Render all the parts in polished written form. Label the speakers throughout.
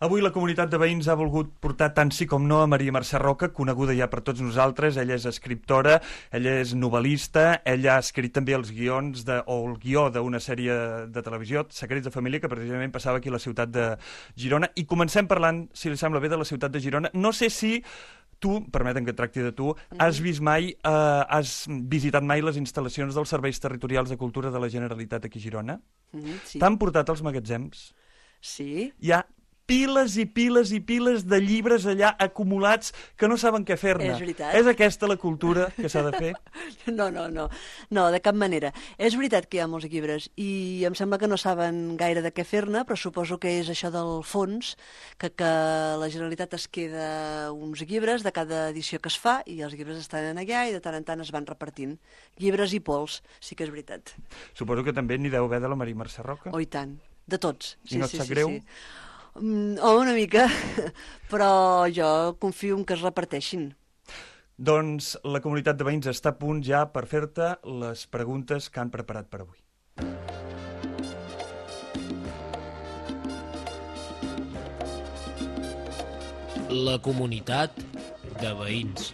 Speaker 1: Avui la comunitat de veïns ha volgut portar tant sí com no a Maria Mercè Roca, coneguda ja per tots nosaltres. Ella és escriptora, ella és novel·lista, ella ha escrit també els guions o el guió d'una sèrie de televisió, Secrets de família, que precisament passava aquí a la ciutat de Girona. I comencem parlant, si li sembla bé, de la ciutat de Girona. No sé si tu, permeten que et tracti de tu, has visitat mai les instal·lacions dels serveis territorials de cultura de la Generalitat aquí a Girona?
Speaker 2: Sí.
Speaker 1: T'han portat als magatzems?
Speaker 2: Sí.
Speaker 1: Hi ha piles i piles i piles de llibres allà acumulats que no saben què fer-ne.
Speaker 2: És veritat.
Speaker 1: És aquesta la cultura que s'ha de fer?
Speaker 2: No, de cap manera. És veritat que hi ha molts llibres i em sembla que no saben gaire de què fer-ne, però suposo que és això del fons, que la Generalitat es queda uns llibres de cada edició que es fa i els llibres estan allà i de tant en tant es van repartint. Llibres i pols, sí que és veritat.
Speaker 1: Suposo que també n'hi deu haver de la Maria Mercè Roca.
Speaker 2: Oh, i tant. De tots.
Speaker 1: I no et sap greu?
Speaker 2: Sí. Una mica, però jo confio en que es reparteixin.
Speaker 1: Doncs la comunitat de veïns està a punt ja per fer-te les preguntes que han preparat per avui.
Speaker 3: La comunitat de veïns.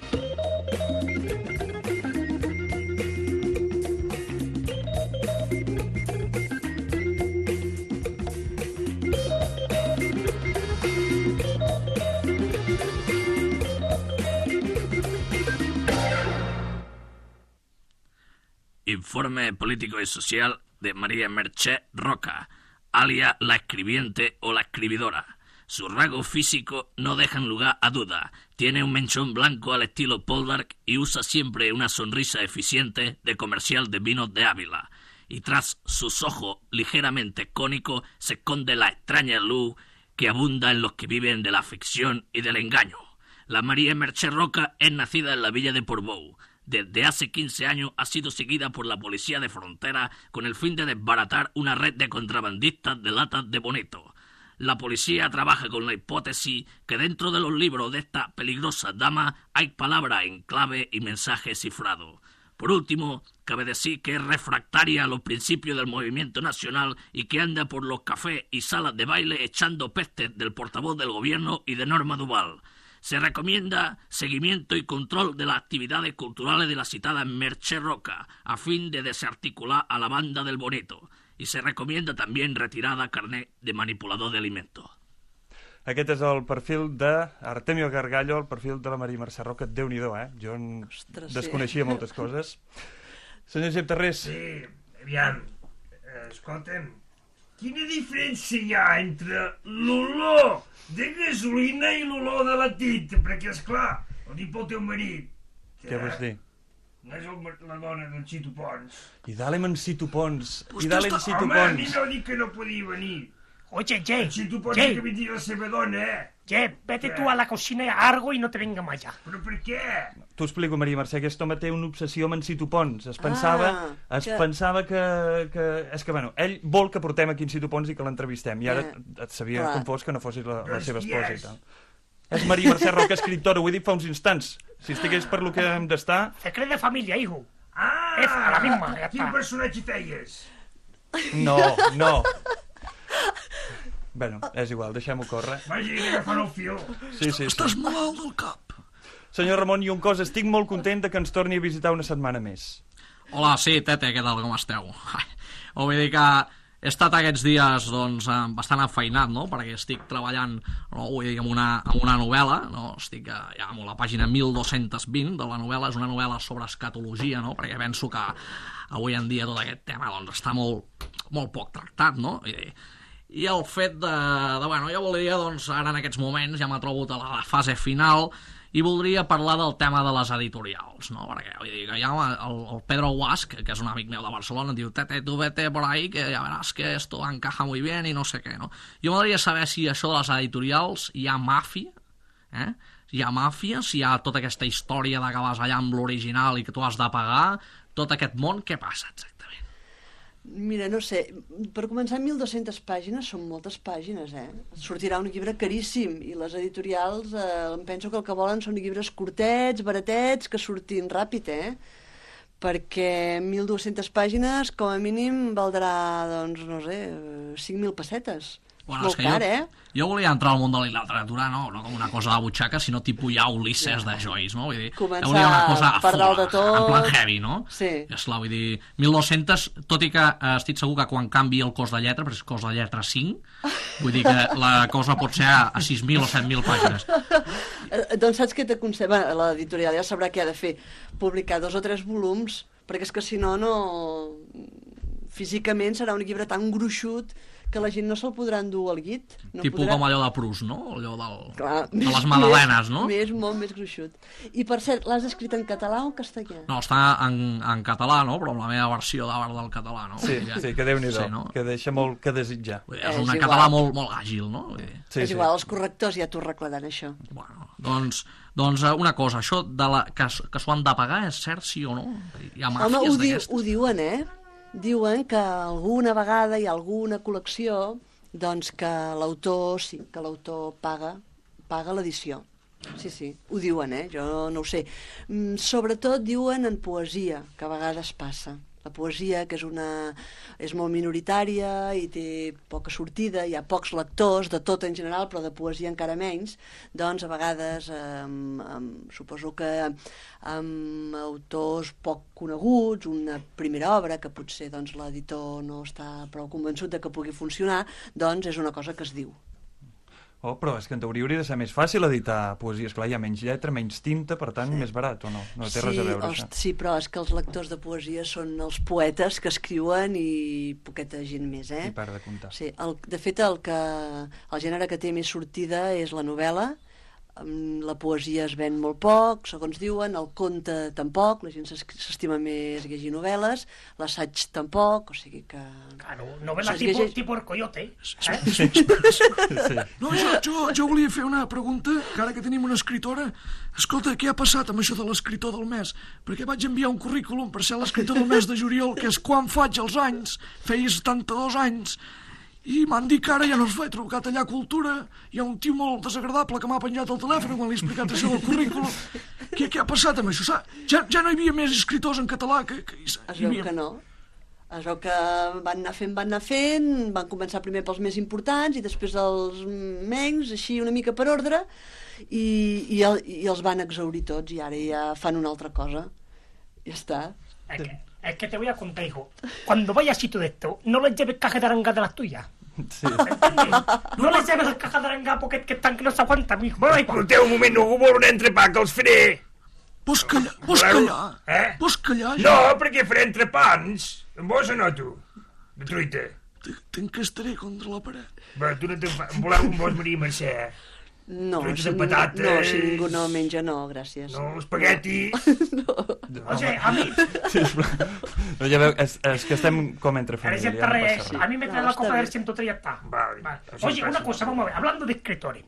Speaker 4: Informe político y social de María Mercè Roca, alia la escribiente o la escribidora. Sus rasgos físicos no dejan lugar a duda. Tiene un mechón blanco al estilo Poldark y usa siempre una sonrisa eficiente de comercial de vinos de Ávila. Y tras sus ojos ligeramente cónicos se esconde la extraña luz que abunda en los que viven de la ficción y del engaño. La María Mercè Roca es nacida en la villa de Portbou. Desde hace 15 años ha sido seguida por la policía de frontera con el fin de desbaratar una red de contrabandistas de latas de bonito. La policía trabaja con la hipótesis que dentro de los libros de esta peligrosa dama hay palabras en clave y mensajes cifrados. Por último, cabe decir que es refractaria a los principios del movimiento nacional y que anda por los cafés y salas de baile echando pestes del portavoz del gobierno y de Norma Duval. Se recomienda seguimiento y control de las actividades culturales de la citada Mercè Roca, a fin de desarticular a la banda del bonito. Y se recomienda también retirada carnet de manipulador de alimentos.
Speaker 1: Aquest és el perfil d'Artemio Gargallo, el perfil de la Maria Mercè Roca. Déu-n'hi-do, Jo desconeixia moltes coses. Senyor Josep Tarrés.
Speaker 5: Sí, aviam, escolta'm, quina diferència hi ha entre l'olor de gasolina i l'olor de la tinta? Perquè, esclar, ho dic pel teu marit.
Speaker 1: Què vols dir?
Speaker 5: No és la dona d'en Cito Pons.
Speaker 1: I dale-me en Cito Pons.
Speaker 5: Home, a mi no dic que no podia venir.
Speaker 6: Oye, Jay,
Speaker 5: En Cito Pons és que vindria la seva dona,
Speaker 6: Jay, vete tú a la cocina y algo y no te venga más allá.
Speaker 5: Però per què?
Speaker 1: T'ho explico, Maria Mercè, aquest home té una obsessió amb en Cito Pons. Es pensava que... És que, bueno, ell vol que portem aquí en Cito Pons i que l'entrevistem. I ara et sabia com fos que no fossis la seva esposa i tal. És Maria Mercè Roca, escriptora, ho he dit fa uns instants. Si estigués per lo que hem d'estar...
Speaker 6: Secret de familia, hijo.
Speaker 5: Ah,
Speaker 6: Es a la misma, ja
Speaker 5: quin
Speaker 6: està.
Speaker 5: personatge feies?
Speaker 1: No. Bueno, és igual, deixem-ho córrer.
Speaker 5: Vaja, he d'agafar el fil.
Speaker 1: Sí.
Speaker 3: Estàs malalt del cap.
Speaker 1: Senyor Ramon Lloncós, estic molt content que ens torni a visitar una setmana més.
Speaker 7: Hola, sí, Tete, què tal, com esteu? Vull dir que he estat aquests dies doncs, bastant afeinat, no?, perquè estic treballant, no, vull dir, amb una novel·la, no?, estic ja amb la pàgina 1220 de la novel·la, és una novel·la sobre escatologia, no?, perquè penso que avui en dia tot aquest tema doncs, està molt poc tractat, no?, i el fet bueno, jo voldria, doncs, ara en aquests moments ja m'ha trobat a la fase final i voldria parlar del tema de les editorials, no? Perquè vull dir, que hi ha el Pedro Guasch, que és un amic meu de Barcelona, diu, Tete, tu vete por ahí, que ya verás que esto encaja muy bien y no sé què, no? Jo m'agradaria saber si això de les editorials hi ha màfia, hi ha màfia, si hi ha tota aquesta història de que vas allà amb l'original i que tu has de pagar, tot aquest món, què passa exactament?
Speaker 2: Mira, no sé, per començar 1.200 pàgines són moltes pàgines, Sortirà un llibre caríssim i les editorials em penso que el que volen són llibres curtets, baratets, que surtin ràpid, Perquè 1.200 pàgines com a mínim valdrà, doncs, no sé, 5.000 pessetes.
Speaker 7: Bueno,
Speaker 2: Molt car,
Speaker 7: jo volia entrar al món de la literatura, no com una cosa de butxaca, sinó tipus ja Ulisses de Joyce, no? Vull dir,
Speaker 2: Començar
Speaker 7: volia una cosa
Speaker 2: per dalt de tot.
Speaker 7: en plan heavy, no?
Speaker 2: Sí.
Speaker 7: I esclar, vull dir, 1.200, tot i que estic segur que quan canvi el cos de lletra, perquè és cos de lletra 5, vull dir que la cosa pot ser a 6.000 o 7.000 pàgines.
Speaker 2: Doncs saps què t'aconsella? L'editorial ja sabrà què ha de fer. Publicar 2 o 3 volums, perquè és que si no, físicament serà un llibre tan gruixut que la gent no se'l podrà endur al llit. No
Speaker 7: Tipus
Speaker 2: podrà...
Speaker 7: com allò de Proust, no? Allò
Speaker 2: Clar,
Speaker 7: de les magdalenes, no?
Speaker 2: Molt més gruixut. I per cert, l'has escrit en català o en castellà?
Speaker 7: No, està en català, no? Però amb la meva versió d'art del català, no?
Speaker 1: Sí, que Déu-n'hi-do,
Speaker 7: no?
Speaker 1: que deixa molt que desitjar.
Speaker 7: Vull dir, és
Speaker 2: És
Speaker 7: un
Speaker 2: igual.
Speaker 7: català molt àgil, no? Vull dir,
Speaker 2: És igual, els correctors ja t'ho arreglaran, això.
Speaker 7: bueno, doncs una cosa, això que s'ho han de pagar és cert, sí o no? Hi ha
Speaker 2: Home,
Speaker 7: màfies d'aquestes?
Speaker 2: ho diuen, Diuen que alguna vegada hi ha alguna col·lecció doncs que l'autor paga l'edició. Sí, ho diuen, jo no ho sé. Sobretot diuen en poesia, que a vegades passa. La poesia, que és molt minoritària i té poca sortida, hi ha pocs lectors, de tot en general, però de poesia encara menys, doncs a vegades suposo que amb autors poc coneguts, una primera obra que potser doncs, l'editor no està prou convençut de que pugui funcionar, doncs és una cosa que es diu.
Speaker 1: Oh, però és que en teoria hauria de ser més fàcil editar poesia. Esclar, hi ha menys lletra, menys tinta, per tant, més barat, o no? No té res a veure, això.
Speaker 2: Sí, però és que els lectors de poesia són els poetes que escriuen i poqueta gent més,
Speaker 1: I para de comptar.
Speaker 2: Sí, de fet, el gènere que té més sortida és la novel·la. La poesia es ven molt poc, segons diuen, el conte tampoc, la gent s'estima més llegir novel·les, l'assaig tampoc, o sigui que...
Speaker 6: Claro, novela tipo El Coyote.
Speaker 1: Sí.
Speaker 3: No, jo volia fer una pregunta, que ara que tenim una escritora, escolta, què ha passat amb això de l'escriptor del mes? Perquè vaig enviar un currículum per ser l'escriptor del mes de juliol, que és quan faig els anys, feia 72 anys, i m'han dit que ara ja no es fa, he trucat allà a Cultura, hi ha un tio molt desagradable que m'ha penjat el telèfon quan li he explicat això del currículum. Què ha passat amb això? Ja no hi havia més escriptors en català que
Speaker 2: Es veu que no. Es veu que van anar fent, van començar primer pels més importants i després els menys, així una mica per ordre, i els van exhaurir tots i ara ja fan una altra cosa. Ja està.
Speaker 6: Es que te voy a contar, hijo. Cuando vayas a sitio de esto, no les lleves cajas de aranga de las tuyas.
Speaker 1: Sí.
Speaker 6: ¿Entiendes? No les lleves las cajas de aranga porque que están que no s'aguanten, mijo. Bueno,
Speaker 5: Escolteu un moment, algú vol un entrepà, que els faré.
Speaker 3: Vols callar? Vols callar?
Speaker 5: No, perquè faré entrepans. Amb vos o no, tu? De truita.
Speaker 3: T'encastaré contra la paret.
Speaker 5: Va, tu no te'n fa... Voleu un vos, Maria Mercè?
Speaker 2: No,
Speaker 5: Truites
Speaker 2: si
Speaker 5: de patates.
Speaker 2: si ningú no menja, no, gràcies.
Speaker 5: No, espagueti.
Speaker 6: oye, a mí,
Speaker 1: No, ja veu, és que estem com entre
Speaker 6: eres
Speaker 1: família,
Speaker 6: el
Speaker 1: no passa
Speaker 6: rey,
Speaker 1: res.
Speaker 6: a mí me trae
Speaker 2: No,
Speaker 6: la
Speaker 2: está
Speaker 6: copa
Speaker 2: bien.
Speaker 6: del 103 y ya está.
Speaker 5: Vale. Así
Speaker 6: Oye,
Speaker 5: pasa,
Speaker 6: una cosa,
Speaker 5: sí.
Speaker 6: vamos a ver, hablando de escritores.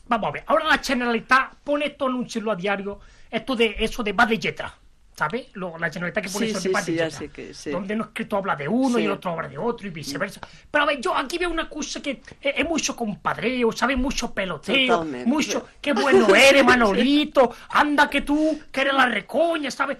Speaker 6: Vamos a ver, ahora la Generalitat pone estos anuncios a diario, eso de va de letra, ¿sabes? La Generalitat que pone eso de va de
Speaker 2: ya
Speaker 6: letra.
Speaker 2: sé que sí.
Speaker 6: Donde un escritor habla de uno
Speaker 2: Sí.
Speaker 6: y el otro habla de otro y viceversa. Pero a ver, yo aquí veo una cosa que es mucho compadreo, ¿sabes? Mucho peloteo,
Speaker 2: Totalmente.
Speaker 6: mucho, qué bueno eres, Manolito, anda que tú, que eres la recoña, ¿sabes?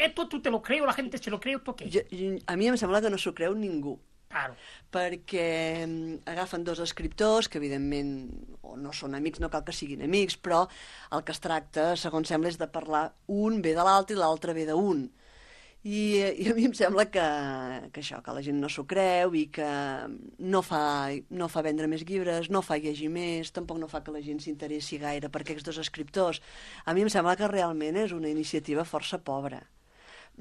Speaker 6: Esto tú te lo creo, la gente se lo cree, ¿tú qué?
Speaker 2: A mi em sembla que no s'ho creu ningú,
Speaker 6: Claro.
Speaker 2: perquè agafen 2 escriptors que evidentment o no són amics, no cal que siguin amics, però el que es tracta, segons sembla, és de parlar un bé de l'altre i l'altre bé d'un. I a mi em sembla que això, que la gent no s'ho creu i que no fa vendre més llibres, no fa llegir més, tampoc no fa que la gent s'interessi gaire per aquests 2 escriptors. A mi em sembla que realment és una iniciativa força pobra.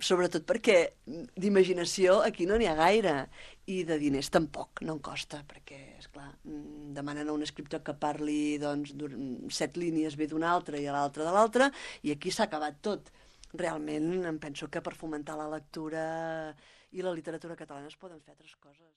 Speaker 2: Sobretot perquè d'imaginació aquí no n'hi ha gaire i de diners tampoc, no en costa, perquè, esclar, demanen a un escriptor que parli doncs, 7 línies bé d'una altra i a l'altra de l'altra, i aquí s'ha acabat tot. Realment em penso que per fomentar la lectura i la literatura catalana es poden fer altres coses.